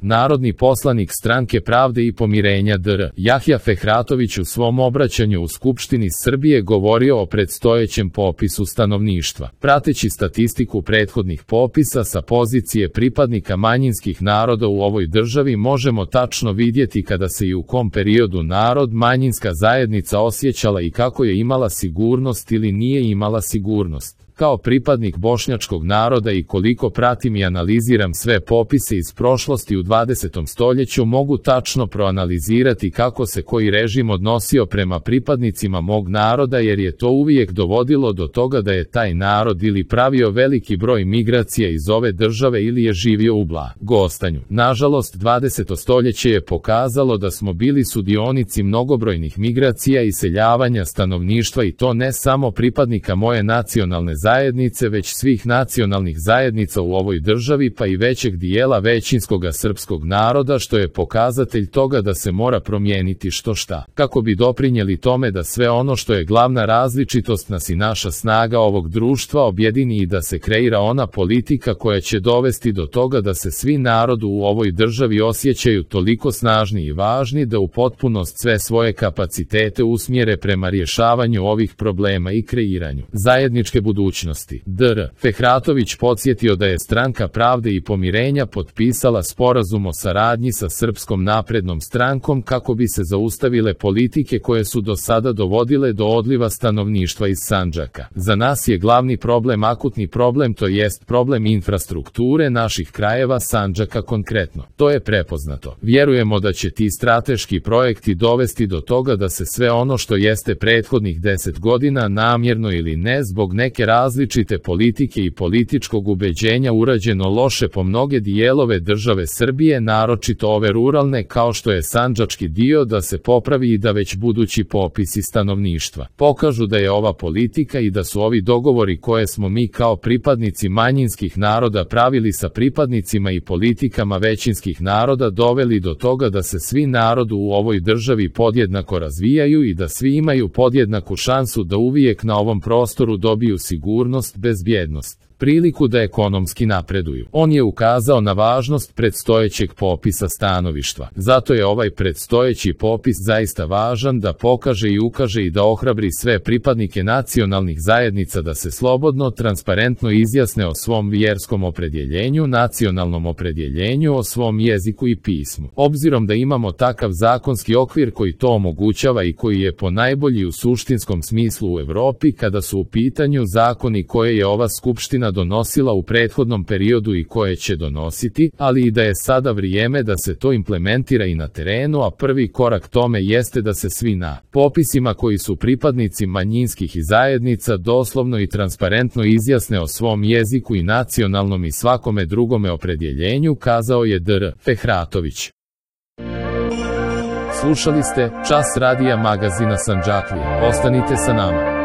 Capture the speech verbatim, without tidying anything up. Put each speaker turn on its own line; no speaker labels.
Narodni poslanik Stranke pravde i pomirenja dr Jahja Fehratović u svom obraćanju u Skupštini Srbije govorio o predstojećem popisu stanovništva. Prateći statistiku prethodnih popisa sa pozicije pripadnika manjinskih naroda u ovoj državi možemo tačno vidjeti kada se i u kom periodu narod, manjinska zajednica osjećala i kako je imala sigurnost ili nije imala sigurnost. Kao pripadnik bošnjačkog naroda i koliko pratim i analiziram sve popise iz prošlosti u dvadesetom stoljeću, mogu tačno proanalizirati kako se koji režim odnosio prema pripadnicima mog naroda, jer je to uvijek dovodilo do toga da je taj narod ili pravio veliki broj migracija iz ove države ili je živio u blagostanju. Nažalost, dvadeseto stoljeće je pokazalo da smo bili sudionici mnogobrojnih migracija i seljavanja stanovništva, i to ne samo pripadnika moje nacionalne zajednice, zajednice, već svih nacionalnih zajednica u ovoj državi, pa i većeg dijela većinskoga srpskog naroda, što je pokazatelj toga da se mora promijeniti što šta, kako bi doprinijeli tome da sve ono što je glavna različitost nas i naša snaga ovog društva objedini i da se kreira ona politika koja će dovesti do toga da se svi narodu u ovoj državi osjećaju toliko snažni i važni da u potpunost sve svoje kapacitete usmjere prema rješavanju ovih problema i kreiranju zajedničke budućnosti. dr Fehratović podsjetio da je Stranka pravde i pomirenja potpisala sporazum o saradnji sa Srpskom naprednom strankom kako bi se zaustavile politike koje su do sada dovodile do odliva stanovništva iz Sandžaka. Za nas je glavni problem akutni problem, to jest problem infrastrukture naših krajeva Sandžaka konkretno. To je prepoznato. Vjerujemo da će ti strateški projekti dovesti do toga da se sve ono što jeste prethodnih deset godina namjerno ili ne zbog neke različite politike i političkog ubeđenja urađeno loše po mnoge dijelove države Srbije, naročito ove ruralne kao što je sandžački dio, da se popravi i da već budući popisi stanovništva pokažu da je ova politika i da su ovi dogovori koje smo mi kao pripadnici manjinskih naroda pravili sa pripadnicima i politikama većinskih naroda doveli do toga da se svi narodu u ovoj državi podjednako razvijaju i da svi imaju podjednaku šansu da uvijek na ovom prostoru dobiju sigurnost, bezbjednost, priliku da ekonomski napreduju. On je ukazao na važnost predstojećeg popisa stanovništva. Zato je ovaj predstojeći popis zaista važan da pokaže i ukaže i da ohrabri sve pripadnike nacionalnih zajednica da se slobodno, transparentno izjasne o svom vjerskom opredjeljenju, nacionalnom opredjeljenju, o svom jeziku i pismu. Obzirom da imamo takav zakonski okvir koji to omogućava i koji je po najbolji u suštinskom smislu u Evropi kada su u pitanju zakoni koje je ova skupština donosila u prethodnom periodu i koje će donositi, ali i da je sada vrijeme da se to implementira i na terenu, a prvi korak tome jeste da se svi na popisima koji su pripadnici manjinskih i zajednica doslovno i transparentno izjasne o svom jeziku i nacionalnom i svakome drugome opredjeljenju, kazao je dr Fehratović. Slušali ste Čas radija magazina Sandžaklije. Ostanite sa nama.